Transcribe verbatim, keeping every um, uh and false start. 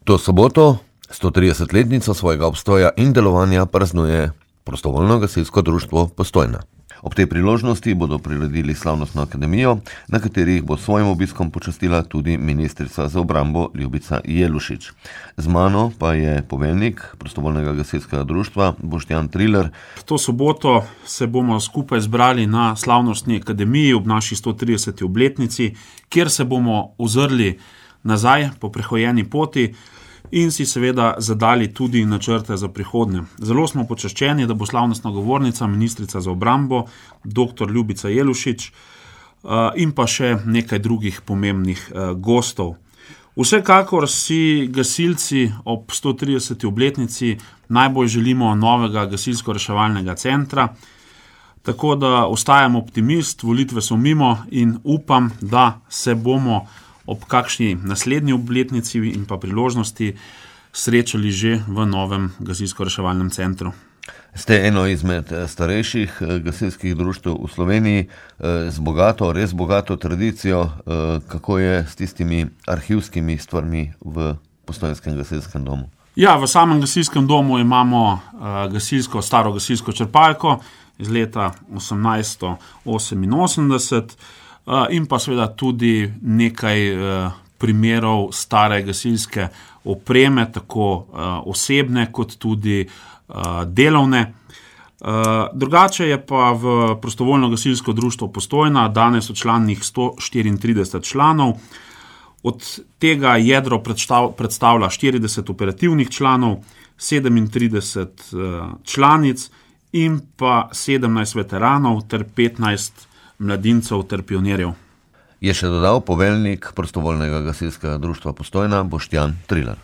To soboto, stotridesetletnico svojega obstoja in delovanja praznuje Prostovoljno gasilsko društvo Postojna. Ob tej priložnosti bodo priredili slavnostno akademijo, na kateri jih bo s svojim obiskom počastila tudi ministrica za obrambo Ljubica Jelušič. Z mano pa je poveljnik Prostovoljnega gasilskega društva Boštjan Trilar. To soboto se bomo skupaj zbrali na slavnostni akademiji ob naši stotrideseti obletnici, kjer se bomo ozrli nazaj po prehojeni poti in si seveda zadali tudi načrte za prihodnje. Zelo smo počaščeni, da bo slavnostna govornica ministrica za obrambo dr. Ljubica Jelušič in pa še nekaj drugih pomembnih gostov. Vsekakor si gasilci ob stotrideseti obletnici najbolj želimo novega gasilsko-reševalnega centra, tako da ostajam optimist, volitve so mimo in upam, da se bomo ob kakšni naslednji obletnici in pa priložnosti srečali že v novem gasilsko-reševalnem centru. Ste eno izmed starejših gasilskih društev v Sloveniji z bogato, res bogato tradicijo. Kako je s tistimi arhivskimi stvarmi v Postojnskem gasilskem domu? Ja, v samem gasilskem domu imamo gasilsko, staro gasilsko črpalko iz leta osemnajststo oseminosemdeset, in pa seveda tudi nekaj primerov stare gasilske opreme, tako osebne kot tudi delovne. Drugače je pa v Prostovoljno gasilsko društvo Postojna danes včlanjenih sto štiriintrideset članov, od tega jedro predstavlja štirideset operativnih članov, sedemintrideset članic in pa sedemnajst veteranov ter petnajst mladincev ter pionirjev. Je še dodal poveljnik Prostovoljnega gasilskega društva Postojna Boštjan Trilar.